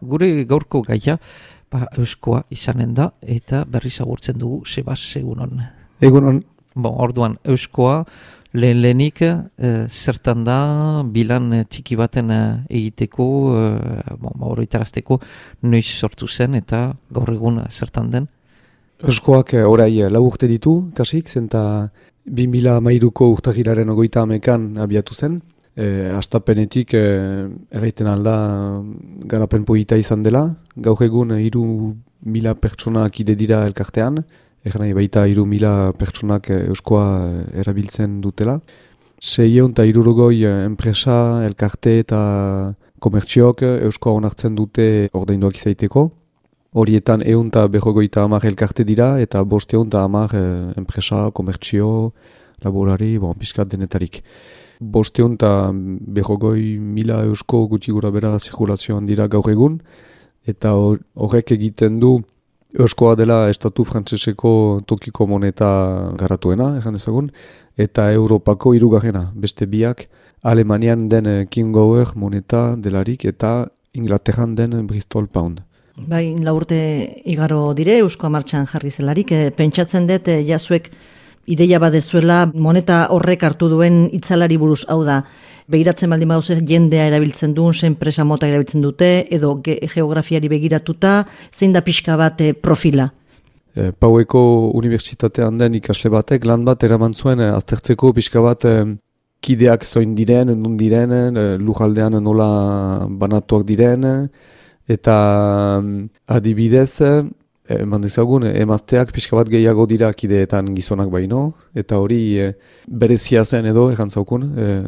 gure gaurko gaia euskoa izanen da, eta berriz agurtzen dugu, Sebas, egunon. Egunon. Orduan, euskoa lehenik zertan da, bilan txiki baten egiteko, oroitarazteko, noiz sortu zen, eta gaur egun zertan den? Euskoak orai 4 urte ditu, kasik, zenta 2013ko urtagiraren 30 abiatu zen. Astapenetik erraiten alda garapen polita izan dela. Gaur egun 3.000 pertsonak ide dira elkartean. Nahi baita 3.000 pertsonak euskoa erabiltzen dutela. 660 enpresa, elkarte eta komertziok euskoa onartzen dute ordainduak izaiteko. Horietan 150 elkarte dira eta 510 enpresa, komertzio, laborari, piskat denetarik. 550.000 eusko guti gura bera zirkulazioan dira gaur egun, eta horrek egiten du euskoa dela estatu frantseseko tokiko moneta garatuena, egan ezagun, eta Europako 3. Beste biak Alemanian den King Gower moneta delarik eta Inglaterran den Bristol Pound. Bai, 4 urte igaro dire, euskoa martxan jarri zelarik, pentsatzen dut jazuek ideia badezuela moneta horrek hartu duen itzalari buruz, hau da, begiratzen baldin baduzu jendea erabiltzen duen, enpresa mota erabiltzen dute, edo geografiari begiratuta, zein da pixka bat profila? Paueko unibertsitatean den ikasle batek lan bat eraman zuen aztertzeko pixka bat kideak zoin diren, nun diren, lujaldean nola banatuak diren, eta adibidez, eman dezagun, emazteak pixka bat gehiago dira kideetan gizonak baino, eta hori berezia zen edo, errantzaukun,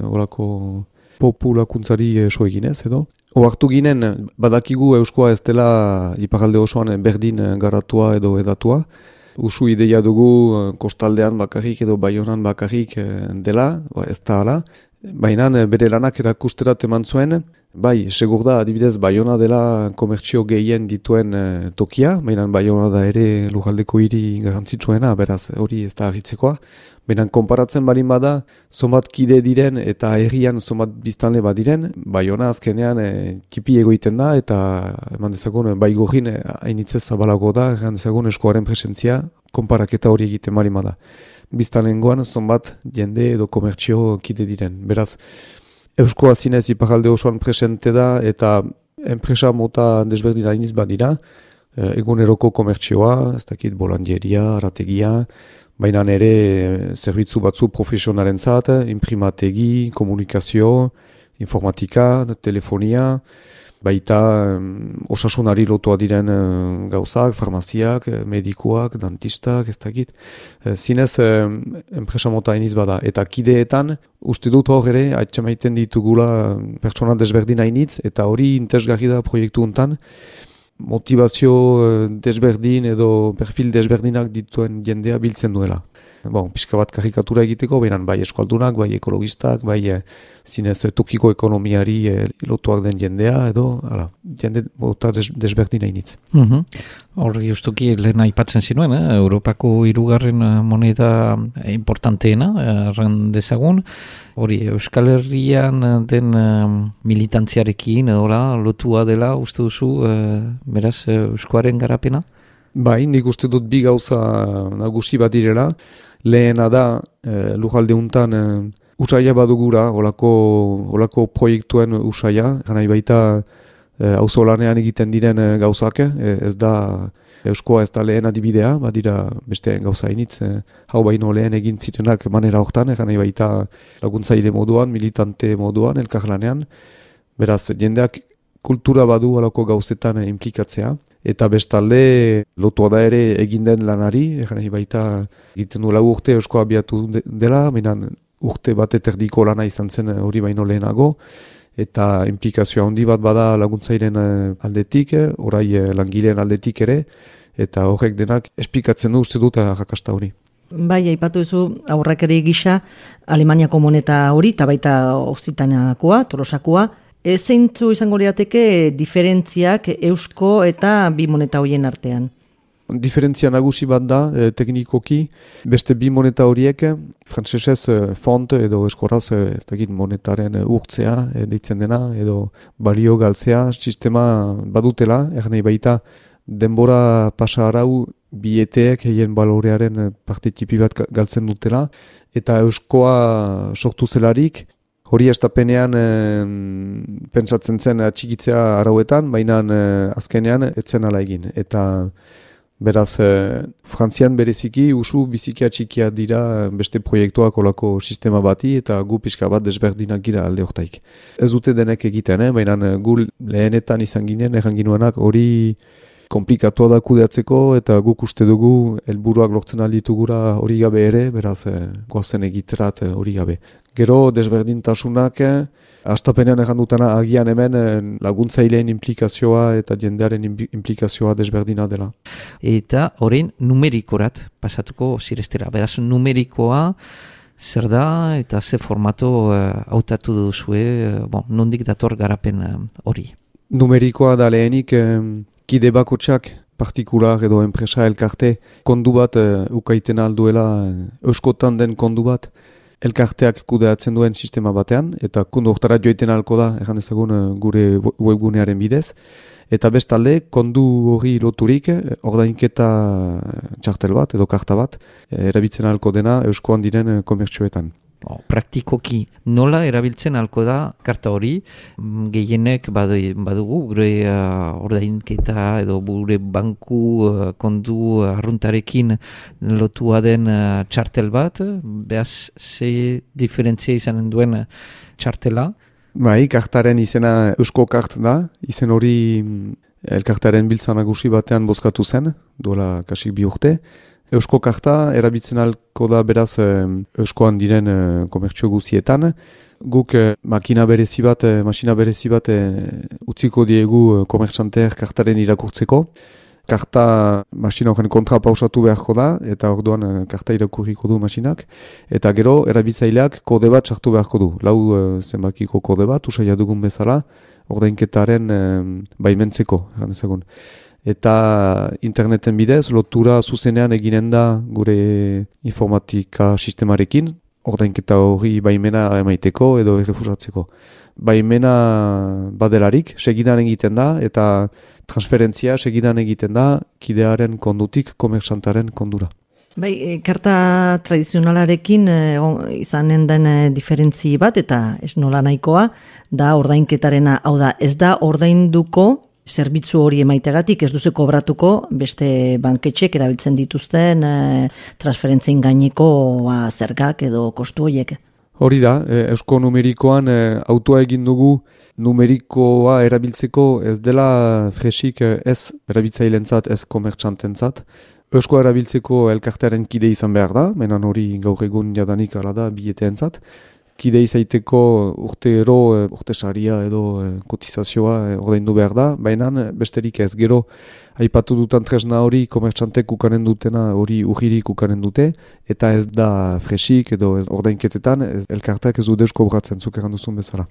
horako populakuntzari so eginez edo. Oartu ginen, badakigu euskoa ez dela iparalde osoan berdin garatua edo edatua. Usu ideia dugu kostaldean bakarrik edo Baionan bakarrik dela, ez da hala. Baina bere lanak erakusterat eman zuen, bai, segur da, adibidez, Baiona dela komertzio gehien dituen tokia, baina Baiona da ere lujaldeko hiri garrantzitsuena, beraz, hori ez da agitzekoa. Baina konparatzen balin bada, zonbat kide diren eta herrian zonbat biztanle badiren, Baiona azkenean tipi egoiten da, eta eman dezagun, Baigorrin hainitzez zabalago da, eman dezagun eskoaren presentzia, konparaketa hori egiten balin bada. Biztanlengoan zonbat jende edo komertzio kide diren. Beraz, euskoa zinez iparalde osoan presente da eta enpresa mota desberdina iniz badira, eguneroko komertzioa, ez dakit bolandieria, arategia, baina ere zerbitzu batzu profesionalen zat, imprimategi, komunikazio, informatika, telefonia, baita osasunari lotua diren gauzak, farmaziak, medikuak, dantistak, ez dakit. Zinez, enpresa mota iniz bada. Eta kideetan, uste dut hor ere, atxamaiten ditugula pertsona desberdina initz, eta hori interesgarri da proiektu hontan, motivazio desberdin edo perfil desberdinak dituen jendea biltzen duela. Pixka bat karikatura egiteko, beran bai eskualdunak, bai ekologistak, bai zinez tokiko ekonomiari lotuak den jendea, edo jende bota desberdina initz. Hor justuki lehen aipatzen zinuen, Europako 3. moneda importanteena, erran dezagun, hori Euskal Herrian den militantziarekin, lotua dela, uste duzu, beraz, euskoaren garapena? Bai, nik uste dut bi gauza nagusi bat direla. Lehena da, lujalde untan usaia badugura, olako proiektuen usaia, ganai baita auzolanean egiten diren gauzak, ez da euskoa ez da lehen adibidea, badira beste gauza initz, hau baino lehen egin zirenak manera hortan, ganai baita laguntzaile moduan, militante moduan, elkarlanean, beraz, jendeak kultura badu olako gauzetan implikatzea. Eta bestalde, lotua da ere egin den lanari, baita egiten du 4 urte euskoa abiatu dela, minan urte bat eterdiko lana izan zen hori baino lehenago, eta implikazioa handi bat bada laguntzairen aldetik, orai langileen aldetik ere, eta horrek denak esplikatzen du uste dut arrakasta hori. Bai, aipatu duzu aurrakari gisa Alemaniako moneta hori, eta baita Okzitaniakoa, Tolosakoa, zeintzu izango lirateke diferentziak eusko eta bi moneta horien artean? Diferentzia nagusi bat da, teknikoki, beste bi moneta horiek, frantsesez font edo eskoraz ez dakit monetaren urtzea deitzen dena, edo balio galtzea sistema badutela, nahi baita denbora pasa arau bieteek heien balorearen parte tipi bat galtzen dutela, eta euskoa sortu zelarik, hori estapenean pentsatzen zen atxikitzea arauetan, baina azkenean etzen ala egin. Eta beraz, Frantzian bereziki usu biziki atxikia dira beste proiektuak olako sistema bati eta gu pixka bat desberdinak gira alde hortaik. Ez dute denek egiten, baina gu lehenetan izan ginen, erranginuanak hori komplikatua da kudeatzeko eta guk uste dugu helburuak lortzen alditugura hori gabe ere, beraz goazen egiterat hori gabe. Gero desberdintasunak, hastapenean errandutana agian hemen laguntzaileen implikazioa eta jendearen implikazioa desberdina dela. Eta horrein numerikorat pasatuko zirestera. Beraz, numerikoa zer da eta ze formato hautatu duzue, nondik dator garapen hori? Numerikoa da lehenik kide bakotxak, partikular edo enpresa elkarte, kondu bat ukaiten alduela, euskotan den kondu bat, elkarteak kudeatzen duen sistema batean, eta kondu hortara joiten alko da, erran ezagun gure webgunearen bidez, eta bestalde, kondu hori loturik, ordainketa txartel bat edo karta bat, erabiltzen alko dena euskoan diren komertxoetan. Praktikoki nola erabiltzen alko da karta hori, gehienek badugu gure ordainketa edo gure banku kondu arruntarekin lotua den txartel bat, behaz ze diferentzia izanen duen txartela? Bai, kartaren izena eusko kart da, izen hori elkartaren biltza nagusi batean bozkatu zen, duela kasik 2 urte. Eusko karta erabiltzen alko da beraz euskoan diren komertxo guzietan. Guk masina berezi bat utziko diegu komertxanteer kartaren irakurtzeko. Karta masina horren kontra pausatu beharko da, eta orduan karta irakurriko du masinak. Eta gero erabiltzaileak kode bat sartu beharko du. Lau zenbakiko kode bat, usaila dugun bezala, ordainketaren baimentzeko, egan ezagun. Eta interneten bidez, lotura zuzenean eginen da gure informatika sistemarekin, ordainketa hori baimena emaiteko edo errefusatzeko. Baimena badelarik, segidan egiten da, eta transferentzia segidan egiten da, kidearen kondutik komerxantaren kondura. Bai, karta tradizionalarekin izanen den diferentzi bat, eta ez nola nahikoa, da ordainketarena, hau da, ez da ordainduko zerbitzu hori emaitegatik, ez duzu kobratuko beste banketxek erabiltzen dituzten transferentzien gaineko zergak edo kostu horiek. Hori da, eusko numerikoan autua egin dugu numerikoa erabiltzeko ez dela fresik ez erabiltzailentzat, ez komertxantentzat. Eusko erabiltzeko elkartearen kide izan behar da, menan hori gaur egun jadanik ala da bieteentzat. Kide izaiteko urte saria edo kotizazioa ordaindu behar da, baina besterik ez. Gero aipatu dutan tresna hori komertxantek ukanen dutena hori urririk ukanen dute, eta ez da fresik edo ez ordainketetan elkarteak ez du deus kobratzen zuk erran duzun bezala.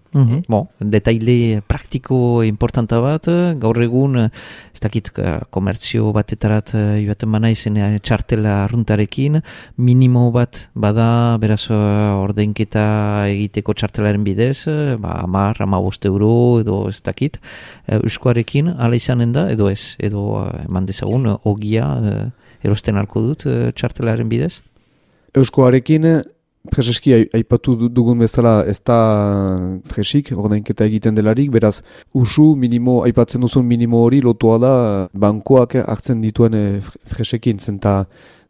Detaile praktiko importanta bat, gaur egun ez dakit komertzio batetarat joaten bana izena txartela arruntarekin, minimo bat bada beraz ordainketa egiteko txartelaren bidez, 10-15 euro edo ez dakit, euskoarekin ala izanen da edo ez, edo eman dezagun ogia erosten alko dut txartelaren bidez? Euskoarekin preseski aipatu dugun bezala ez da fresik, ordainketa egiten delarik, beraz usu minimo, aipatzen duzun minimo hori lotua da bankoak hartzen dituen fresekin, zenta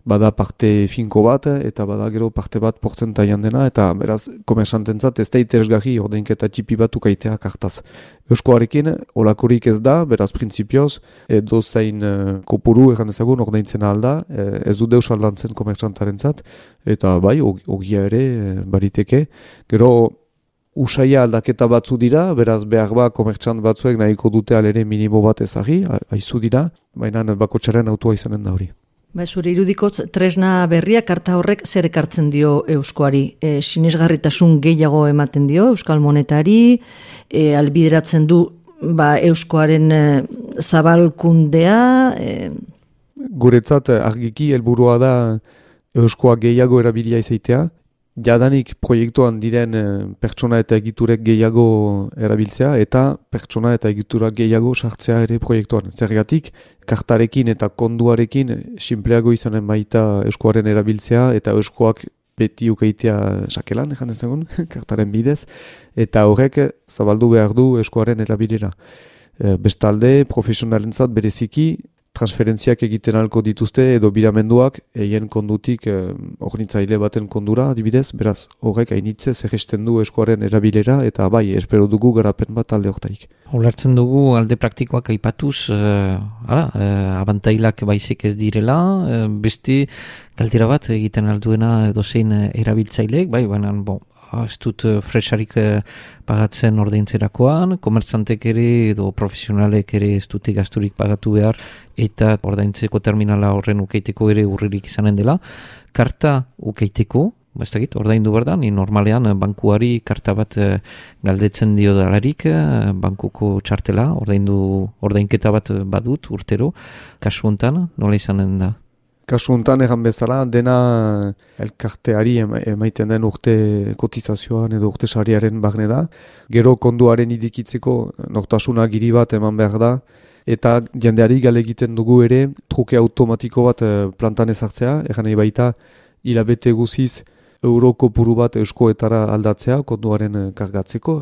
bada parte finko bat, eta bada gero parte bat portzentaian dena, eta beraz, komersantentzat ez da interesgarri ordainketa txipi bat ukaitea kartaz. Euskoarekin, olakorik ez da, beraz, printzipioz, edo zain kopuru erran ezagun ordaintzen alda, ez du deus aldantzen komersantarentzat, eta bai, ogia ere bariteke. Gero, usaia aldaketa batzu dira, beraz behar ba komertxant batzuek nahiko dute alere minimo bat ezagri, aizu dira, baina bakotxaren autua izanen da hori. Zure irudikotz, tresna berria karta horrek zer ekartzen dio euskoari? Sinesgarritasun gehiago ematen dio euskal monetari, albideratzen du euskoaren zabalkundea? Guretzat argiki helburua da euskoa gehiago erabilia izaitea, jadanik proiektuan diren pertsona eta egiturek gehiago erabiltzea eta pertsona eta egiturak gehiago sartzea ere proiektuan. Zergatik, kartarekin eta konduarekin sinpleago izanen baita euskoaren erabiltzea eta euskoak beti ukeitea sakelan, ejan ezagun, kartaren bidez, eta horrek zabaldu behar du euskoaren erabilera. Bestalde, profesionalentzat bereziki, transferentziak egiten alko dituzte edo biramenduak eien kondutik ornitzaile baten kondura adibidez, beraz horrek hainitze zerresten du eskuaren erabilera eta bai, espero dugu garapen bat alde hortaik. Ulertzen dugu alde praktikoak aipatuz, abantailak baizik ez direla, beste galdera bat egiten alduena edozein erabiltzaileek, bai, baina ez dut fresarik pagatzen ordaintzerakoan, komertzantek ere edo profesionalek ere ez dute gasturik pagatu behar eta ordaintzeko terminala horren ukeiteko ere urririk izanen dela. Karta ukeiteko, ez dakit, ordaindu behar da, ni normalean bankuari karta bat galdetzen dio dalarik, bankuko txartela, ordainketa bat badut urtero, kasu hontan, nola izanen da? Kasu honetan egan bezala, dena elkarteari emaiten den urte kotizazioan edo urte sariaren barne da. Gero konduaren idikitzeko nortasuna giri bat eman behar da. Eta jendeari gale egiten dugu ere truke automatiko bat plantan ezartzea. Egan nahi baita hilabete guziz euro kopuru bat euskoetara aldatzea konduaren kargatzeko.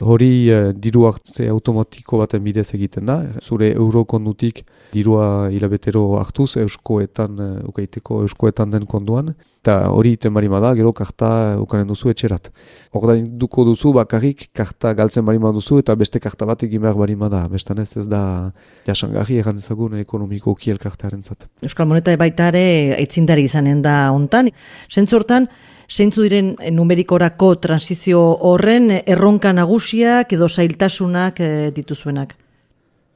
Hori diru hartze automatiko baten bidez egiten da. Zure euro kondutik dirua hilabetero hartuz euskoetan ukaiteko euskoetan den konduan. Eta hori iten barima da, gero karta ukanen duzu etxerat. Ordainduko duzu bakarrik karta galtzen barima duzu eta beste karta bat egin behar barima da. Bestanez ez da jasangarri egan ezagun ekonomikoki elkartearen zat. Euskal Moneta baita ere aitzindari izanen da hontan. Zentzortan, zeintzu diren numerikorako transizio horren erronka nagusiak edo zailtasunak dituzuenak?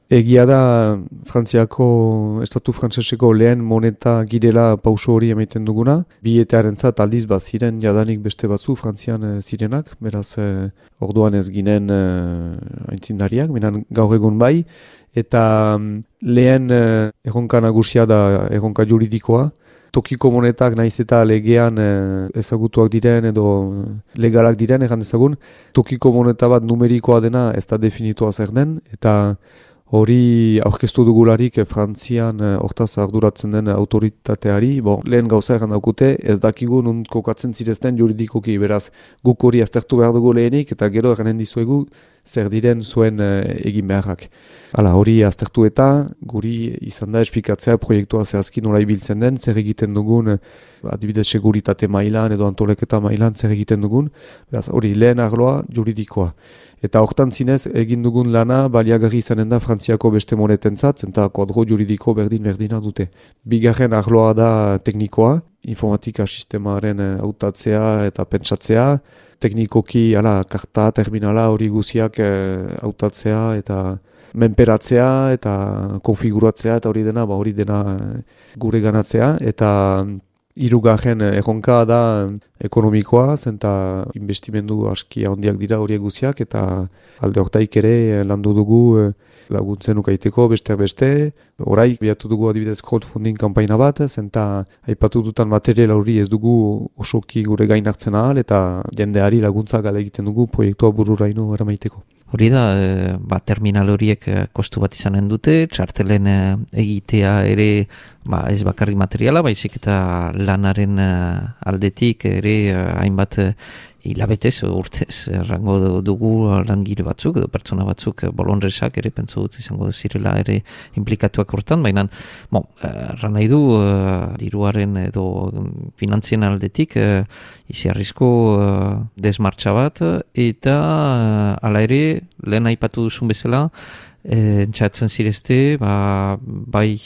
Egia da Frantziako, estatu frantseseko lehen moneta girela pauso hori emaiten duguna. Bietearentzat aldiz ziren jadanik beste batzu Frantzian zirenak, beraz orduan ez ginen aintzindariak, minan gaur egun bai. Eta lehen erronka nagusia da erronka juridikoa. Tokiko monetak naiz eta legean ezagutuak diren edo legalak diren, egan ezagun. Tokiko moneta bat numerikoa dena ez da definitua zer den, eta hori aurkeztu dugularik Frantzian hortaz arduratzen den autoritateari, lehen gauza egan daukute, ez dakigu nun kokatzen zirezten juridikoki, beraz guk hori aztertu behar dugu lehenik eta gero eganen dizuegu zer diren zuen egin beharrak. Hala, hori aztertu eta guri izan da esplikatzea proiektua zehazki nola ibiltzen den, zer egiten dugun, adibidez seguritate mailan edo antoleketa mailan zer egiten dugun, beraz hori lehen arloa juridikoa. Eta hortan zinez egin dugun lana baliagarri izanen da Frantziako beste monetentzat, eta kodro juridiko berdina dute. Bigarren arloa da teknikoa, informatika sistemaren hautatzea eta pentsatzea, teknikoki karta, terminala hori guziak hautatzea eta menperatzea eta konfiguratzea eta hori dena gure ganatzea, eta hirugarren erronka da ekonomikoa, zenta investimendu aski handiak dira horiek guziak, eta alde hortaik ere landu dugu laguntzen ukaiteko beste. Horai, biatu dugu adibidez crowdfunding kanpaina bat, zenta aipatu dutan material hori ez dugu osoki gure gain hartzen ahal, eta jendeari laguntza gale egiten dugu proiektua bururaino eramaiteko. Hori da, terminal horiek kostu bat izanen dute, txartelen egitea ere ez bakarri materiala, baizik eta lanaren aldetik ere hainbat hilabetez, urtez, errango dugu langile batzuk edo pertsona batzuk bolonresak ere pentsu dut izango zirela ere implikatuak hortan, baina erran nahi du diruaren edo finantzien aldetik iziarrizko desmartxa bat, eta hala ere lehen aipatu duzun bezala entxatzen zirezte bai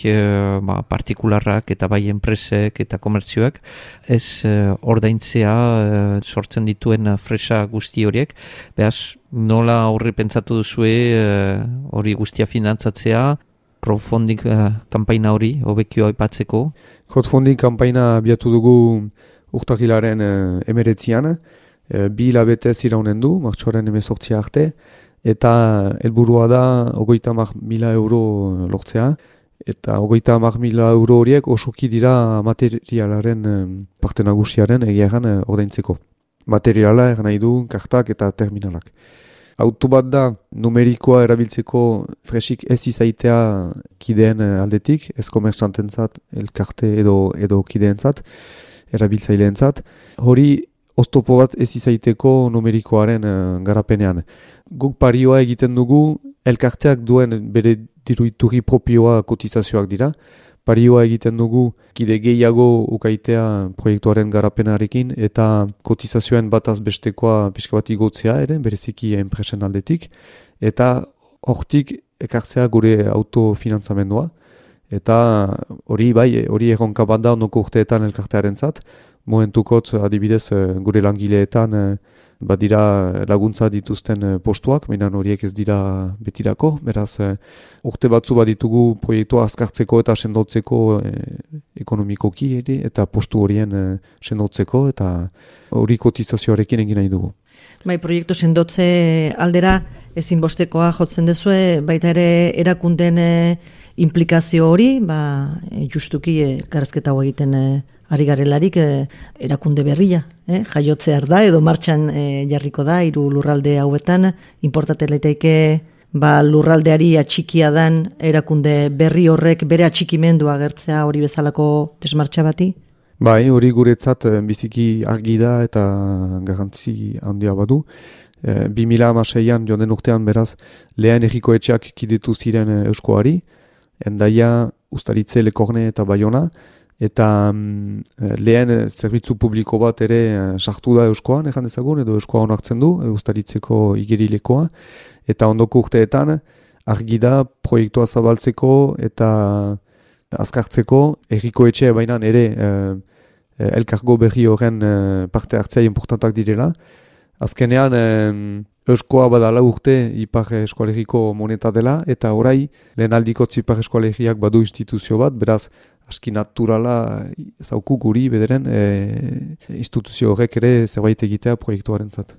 partikularrak eta bai enpresek eta komertzioak ez ordaintzea sortzen dituen fresa guzti horiek. Beraz, nola horri pentsatu duzue hori guztia finantzatzea, crowdfunding kanpaina hori hobekio aipatzeko? Crowdfunding kanpaina abiatu dugu urtarrilaren 19an, 2 hilabetez iraunen du, martxoaren 18 arte, eta helburua da 30.000 euro lortzea, Eta 30.000 euro horiek osoki dira materialaren parte nagusiaren egiagan ordaintzeko. Materiala nahi du kartak eta terminalak. Auto bat da numerikoa erabiltzeko fresik ez izaitea kideen aldetik, ez komertxantentzat, elkarte edo kideentzat, erabiltzaileentzat. Hori oztopo bat ez izaiteko numerikoaren garapenean. Guk parioa egiten dugu, elkarteak duen bere diruituri propioa kotizazioak dira. Parioa egiten dugu kide gehiago ukaitea proiektuaren garapenarekin eta kotizazioen bataz bestekoa pixka bat igotzea ere, bereziki enpresen aldetik. Eta hortik ekartzea gure autofinantzamendua. Eta hori erronka bat da ondoko urteetan elkartearen zat. Momentukot adibidez gure langileetan badira laguntza dituzten postuak, mainan horiek ez dira betirako, beraz urte batzu baditugu proiektua azkartzeko eta sendotzeko ekonomikoki ere, eta postu horien sendotzeko eta hori kotizazioarekin egin nahi dugu. Bai, proiektu sendotze aldera ezinbostekoa jotzen dezue, baita ere erakunden implikazio hori, justuki elkarrizketa hau egiten ari garelarik erakunde berria, jaiotzear da edo martxan jarriko da, 3 lurralde hauetan, inportate leiteike lurraldeari atxikia dan erakunde berri horrek bere atxikimendua agertzea hori bezalako desmartxa bati? Bai, hori guretzat biziki argi da eta garrantzi handia badu. 2016an joan den urtean beraz lehen erriko etxeak kidetu ziren Euskoari, Endaia, Ustaritze, Lekorne eta Baiona, eta lehen zerbitzu publiko bat ere sartu da Euskoan, ejan dezagun, edo Euskoa onartzen du, Ustaritzeko igerilekoa, eta ondoko urteetan argi da proiektua zabaltzeko eta azkartzeko erriko etxe bainan ere elkargo berri horren parte hartzea importantak direla. Azkenean Euskoa badala urte Ipar Eskualeriko moneta dela, eta orai lehen aldikotz Ipar Eskualeriak badu instituzio bat, beraz aski naturala zauku guri bederen instituzio horrek ere zerbait egitea proiektuaren zat.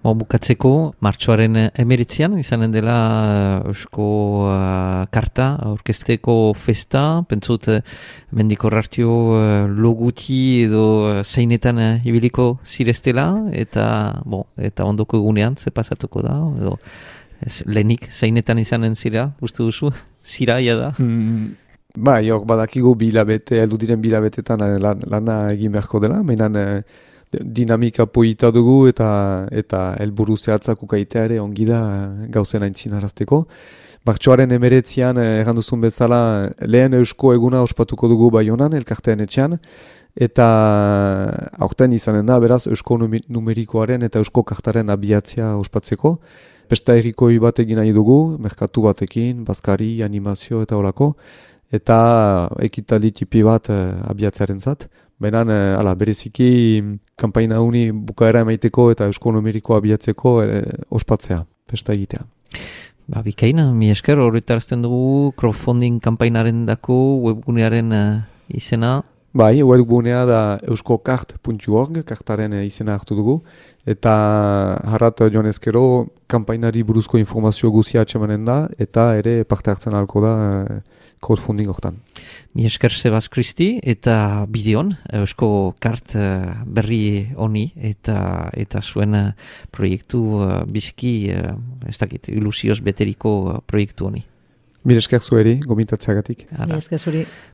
Bukatzeko, martxoaren 19an izanen dela Eusko karta, aurkezteko festa, pentsut mendiko rartio loguti edo zeinetan ibiliko zireztela, eta ondoko egunean ze pasatuko da, edo lehenik zeinetan izanen zira, uste duzu, ziraia da? Bai, hor badakigu heldu diren bilabetetan lana egin beharko dela, mainan dinamika poita dugu eta helburu zehatzak ukaitea ere ongi da gauzen aintzin arazteko. Martxoaren 19an erranduzun bezala lehen Eusko eguna ospatuko dugu Baionan, elkartean etxean, eta aurten izanen da, beraz, Eusko numerikoaren eta Eusko kartaren abiatzea ospatzeko. Pesta errikoi bat egin nahi dugu, merkatu batekin, bazkari, animazio eta holako, eta ekitaldi tipi bat abiatzearen zat. Baina, bereziki kanpaina uni bukaera emaiteko eta Eusko numerikoa abiatzeko ospatzea, pesta egitea. Bikaina, mi esker, horretarazten dugu crowdfunding kanpainaren dako webgunearen izena. Bai, webgunea da euskokart.org, kartaren izena hartu dugu, eta harrat joan ezkero kanpainari buruzko informazio guzia atxemanen da, eta ere parte hartzen ahalko da crowdfunding hortan. Mi esker Sebas Kristi eta bideon Eusko kart berri honi eta zuen proiektu biziki, ez dakit, ilusioz beteriko proiektu honi. Mi esker zueri, gomintatzeagatik. Mi esker zuri.